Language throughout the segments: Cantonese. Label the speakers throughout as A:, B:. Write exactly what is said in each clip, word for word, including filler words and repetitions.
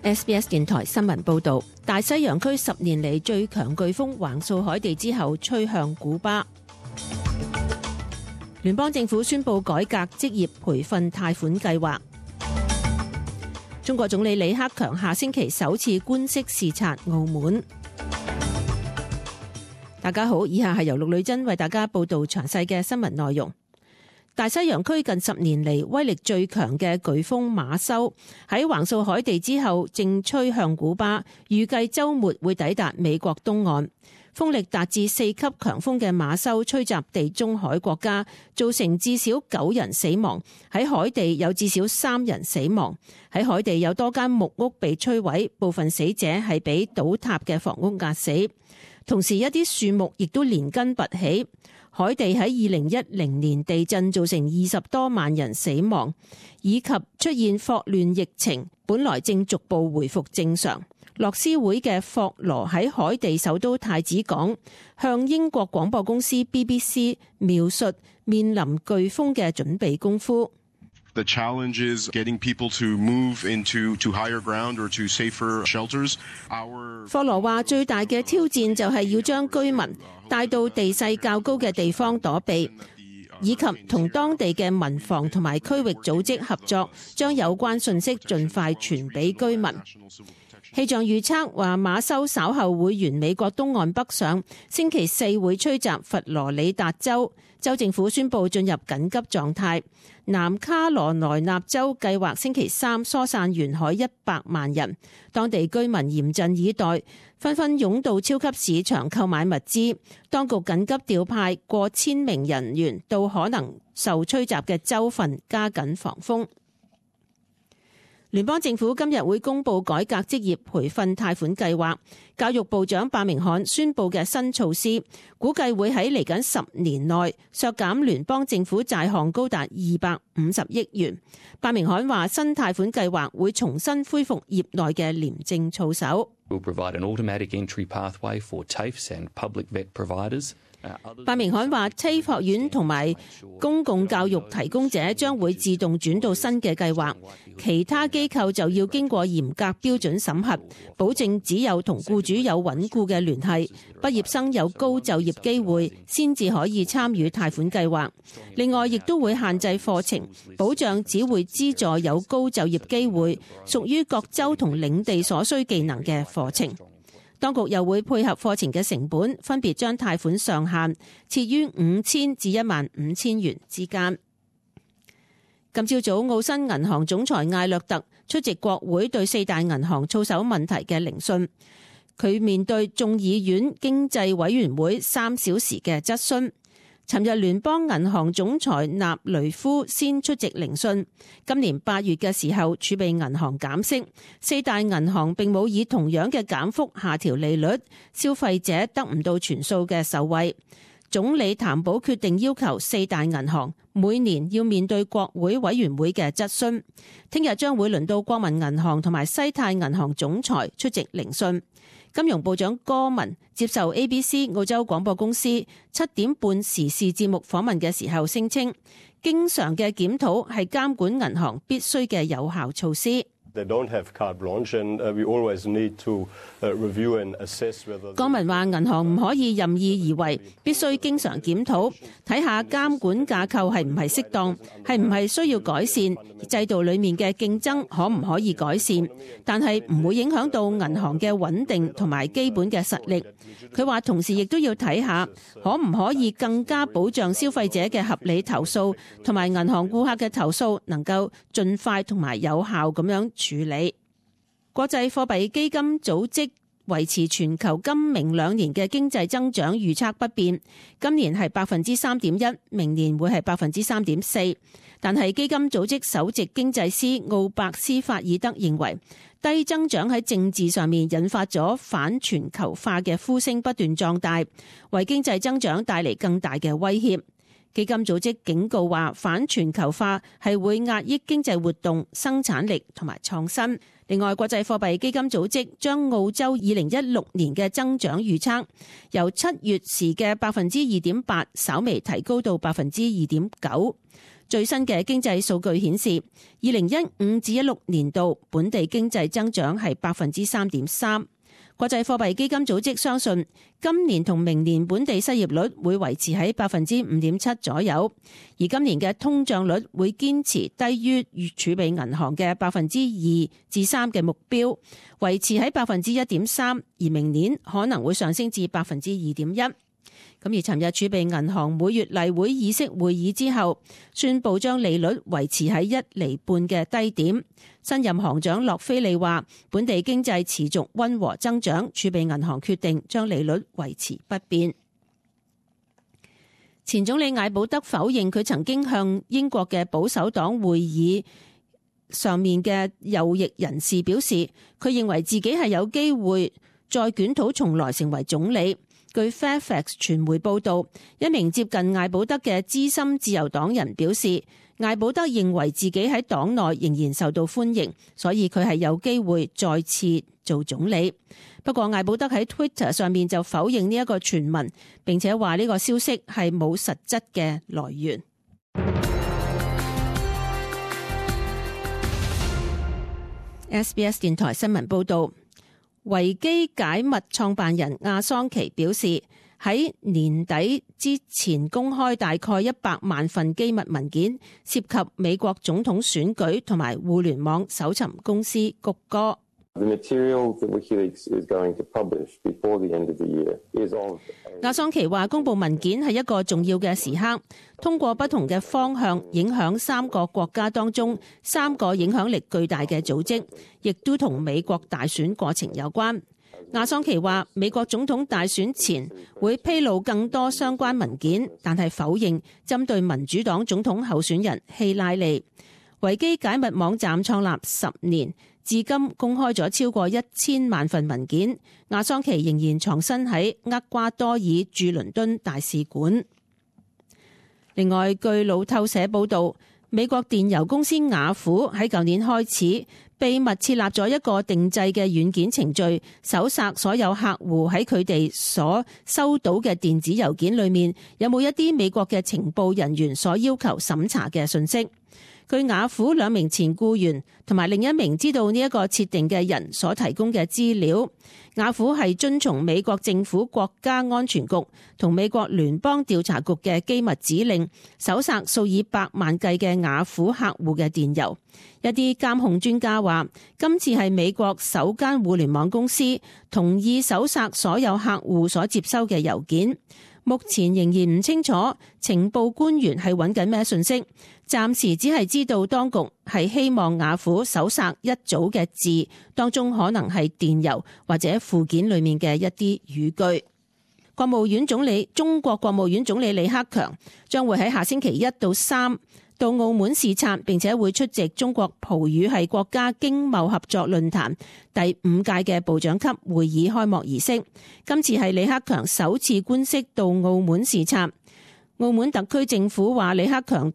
A: S B S 電台新聞報道，大西洋區十年嚟最強颶風橫掃海地之後，吹向古巴。聯邦政府宣布改革職業培訓貸款計劃。中國總理李克強下星期首次官式視察澳門。大家好，以下係由陸女珍為大家報道詳細嘅新聞內容。大西洋區近十年嚟威力最強嘅颶風馬修喺橫掃海地之後，正吹向古巴，預計週末會抵達美國東岸。風力達至四級強風嘅馬修吹襲地中海國家，造成至少九人死亡。喺海地有至少三人死亡。喺海地有多間木屋被摧毀，部分死者係被倒塌嘅房屋壓死。同時一啲樹木亦都連根拔起。海地喺二零一零年地震造成二十多萬人死亡，以及出現霍亂疫情，本來正逐步回復正常。樂施會嘅霍羅喺海地首都太子港向英國廣播公司 B B C 描述面臨颶風嘅準備功夫。
B: The challenge is getting people to move into to higher ground or to safer shelters. Our
A: 霍羅話最大嘅挑戰就係要將居民帶到地勢較高嘅地方躲避，以及同當地嘅民防同埋區域組織合作，將有關信息盡快傳俾居民。氣象預測話馬修稍後會沿美國東岸北上，星期四會吹襲佛羅里達州，州政府宣布進入緊急狀態。南卡羅來納州計劃星期三疏散沿海一百萬人，當地居民嚴陣以待，紛紛湧到超級市場購買物資。當局緊急調派過千名人員到可能受吹襲嘅州份，加緊防風。聯邦政府今日會公布改革職業培訓貸款計劃，教育部長伯明翰宣布嘅新措施，估計會喺嚟緊十年內削減聯邦政府債項高達二百五十億元。伯明翰話新貸款計劃會重新恢復業內嘅廉政操守。
C: We'll provide an automatic entry pathway for T A F E s and public vet providers.
A: 伯明翰話 T A F E 學院同埋公共教育提供者將會自動轉到新嘅計劃，其他機構就要經過嚴格標準審核，保證只有同僱主有穩固嘅聯繫，畢業生有高就業機會先至可以參與貸款計劃。另外亦都會限制課程，保障只會資助有高就業機會、屬於各州同領地所需技能嘅課程。當局又會配合課程嘅成本，分別將貸款上限設於五千至一萬五千元之間。今朝早，澳新銀行總裁艾略特出席國會對四大銀行操守問題嘅聆訊。佢面對眾議院經濟委員會三小時嘅質詢。尋日聯邦銀行總裁納雷夫先出席聆訊。今年八月嘅時候，儲備銀行減息，四大銀行並冇以同樣嘅減幅下調利率，消費者得唔到全數嘅受惠。總理譚寶決定要求四大銀行每年要面對國會委員會嘅質詢。聽日將會輪到國民銀行同埋西泰銀行總裁出席聆訊。金融部長戈文接受 A B C 澳洲廣播公司七點半時事節目訪問嘅時候聲稱，經常嘅檢討係監管銀行必須嘅有效措施。戈文話銀行唔可以任意而為，必須經常檢討，睇下監管架構係唔係適當，係唔係需要改善，制度裡面嘅競爭可唔可以改善，但係唔會影響到銀行嘅穩定同埋基本嘅實力。佢話同時亦都要睇下可唔可以更加保障消費者嘅合理投訴，同埋銀行顧客嘅投訴能夠盡快同埋有效咁樣處理。國際貨幣基金組織維持全球今明兩年嘅經濟增長預測不變，今年係百分之三點一，明年會係百分之三點四。但係基金組織首席經濟師奧伯斯法爾德認為，低增長喺政治上面引發咗反全球化嘅呼聲不斷壯大，為經濟增長帶嚟更大嘅威脅。基金組織警告話，反全球化係會壓抑經濟活動、生產力同埋創新。另外，國際貨幣基金組織將澳洲二零一六年嘅增長預測由七月時嘅百分之二點八稍微提高到百分之二點九。最新嘅經濟數據顯示，二零一五至一六年度本地經濟增長係百分之三點三。國際貨幣基金組織相信，今年同明年本地失業率會維持喺百分之五點七左右，而今年嘅通脹率會堅持低於儲備銀行嘅百分之二至三嘅目標，維持喺百分之一點三，而明年可能會上升至百分之二點一。咁而尋日儲備銀行每月例會議息會議之後，宣布將利率維持喺一厘半嘅低點。新任行長洛菲利話，本地經濟持續溫和增長，儲備銀行決定將利率維持不變。前總理艾保德否認佢曾經向英國嘅保守黨會議上面嘅右翼人士表示，佢認為自己係有機會再捲土重來成為總理。據 Fairfax 傳媒報道，一名接近艾保德嘅資深自由黨人表示，艾保德認為自己喺黨內仍然受到歡迎，所以佢係有機會再次做總理。不過艾保德喺 Twitter 上面就否認呢一個傳聞，並且話呢個消息係冇實質嘅來源。S B S 電台新聞報道。維基解密創辦人亞桑奇表示，喺年底之前公開大概一百萬份機密文件，涉及美國總統選舉同埋互聯網搜尋公司谷歌。亞桑奇話，公布文件係一個重要嘅時刻，通過不同嘅方向影響三個國家當中三個影響力巨大嘅組織，亦都同美國大選過程有關。亞桑奇話，美國總統大選前會披露更多相關文件，但係否認針對民主黨總統候選人希拉里。維基解密網站創立十年，至今公開咗超過一千萬份文件。亞桑奇仍然藏身喺厄瓜多爾駐倫敦大使館。另外，據路透社報道，美國電郵公司雅虎喺舊年開始秘密設立咗一個定制嘅軟件程序，搜索所有客戶喺佢哋所收到嘅電子郵件裏面有冇一啲美國嘅情報人員所要求審查嘅信息。據雅虎兩名前僱員同埋另一名知道呢一個設定嘅人所提供嘅資料，雅虎係遵從美國政府國家安全局同美國聯邦調查局嘅機密指令，搜索數以百萬計嘅雅虎客戶嘅電郵。一啲監控專家話，今次係美國首間互聯網公司同意搜索所有客戶所接收嘅郵件。目前仍然唔清楚情報官員係揾緊咩信息，暫時只係知道當局係希望雅虎搜索一組嘅字，當中可能係電郵或者附件裏面嘅一啲語句。國務院總理中國國務院總理李克強將會喺下星期一到三到澳門視察，並且會出席中國葡語系國家經貿合作論壇第五屆嘅部長級會議開幕儀式。今次係李克強首次官式到澳門視察。澳門特區政府話，李克強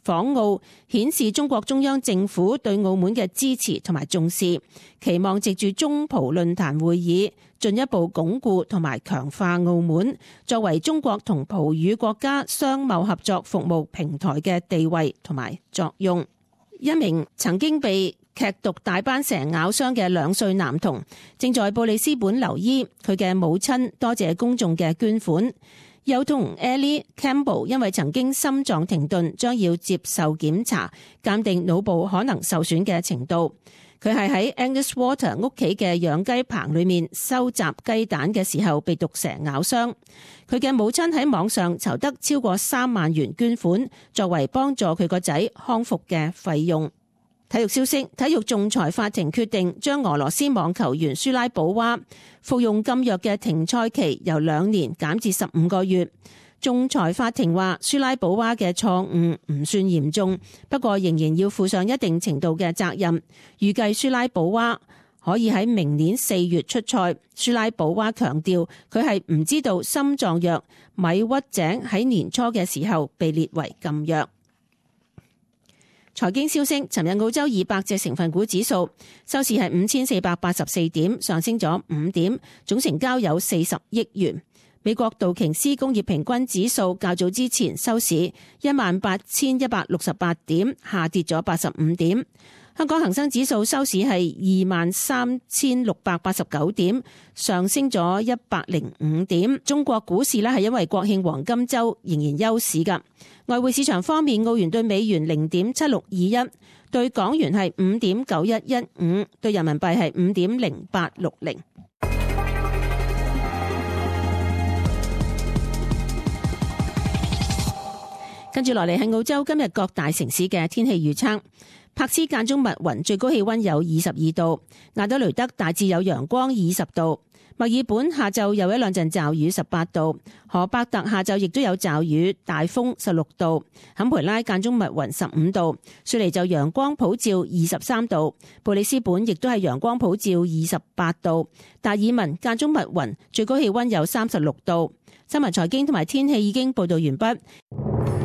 A: 訪澳顯示中國中央政府對澳門嘅支持同埋重視，期望藉住中葡論壇會議進一步鞏固同埋強化澳門作為中國同葡語國家商貿合作服務平台嘅地位同埋作用。一名曾經被劇毒大斑蛇咬傷嘅兩歲男童正在布里斯本留醫，佢嘅母親多謝公眾嘅捐款。幼童 Ellie Campbell 因為曾經心臟停頓，將要接受檢查，鑑定腦部可能受損嘅程度。佢係喺 Angus Water 屋企嘅養雞棚裏面收集雞蛋嘅時候被毒蛇咬傷。佢嘅母親喺網上籌得超過三萬元捐款，作為幫助佢個仔康復嘅費用。體育消息，體育仲裁法庭決定將俄羅斯網球員舒拉保娃服用禁藥嘅停賽期由兩年減至十五個月。仲裁法庭話，舒拉保娃嘅錯誤唔算嚴重，不過仍然要負上一定程度嘅責任。預計舒拉保娃可以喺明年四月出賽。舒拉保娃強調，佢係唔知道心臟藥米屈井喺年初嘅時候被列為禁藥。財經消息，尋日澳洲二百隻成分股指數收市係五千四百八十四點，上升咗五點，總成交有四十億元。美國道瓊斯工業平均指數較早之前收市一萬八千一百六十八點，下跌咗八十五點。香港恒生指數收市係二萬三千六百八十九點，上升咗一百零五點。中國股市呢係因為國慶黃金週仍然休市㗎。外匯市場方面，澳元對美元零點七六二一，對港元係五點九一一五，對人民幣係五點零八六零。跟住落嚟係澳洲今日各大城市嘅天氣預測。柏斯間中密雲，最高氣溫有二十二度；亞德雷德大致有陽光，二十度；墨爾本下晝有一兩陣驟雨，十八度；荷伯特下晝亦都有驟雨，大風，十六度；坎培拉間中密雲，十五度；雪梨就陽光普照，二十三度；布里斯本亦都係陽光普照，二十八度；達爾文間中密雲，最高氣溫有三十六度。新聞財經同埋天氣已經報道完畢。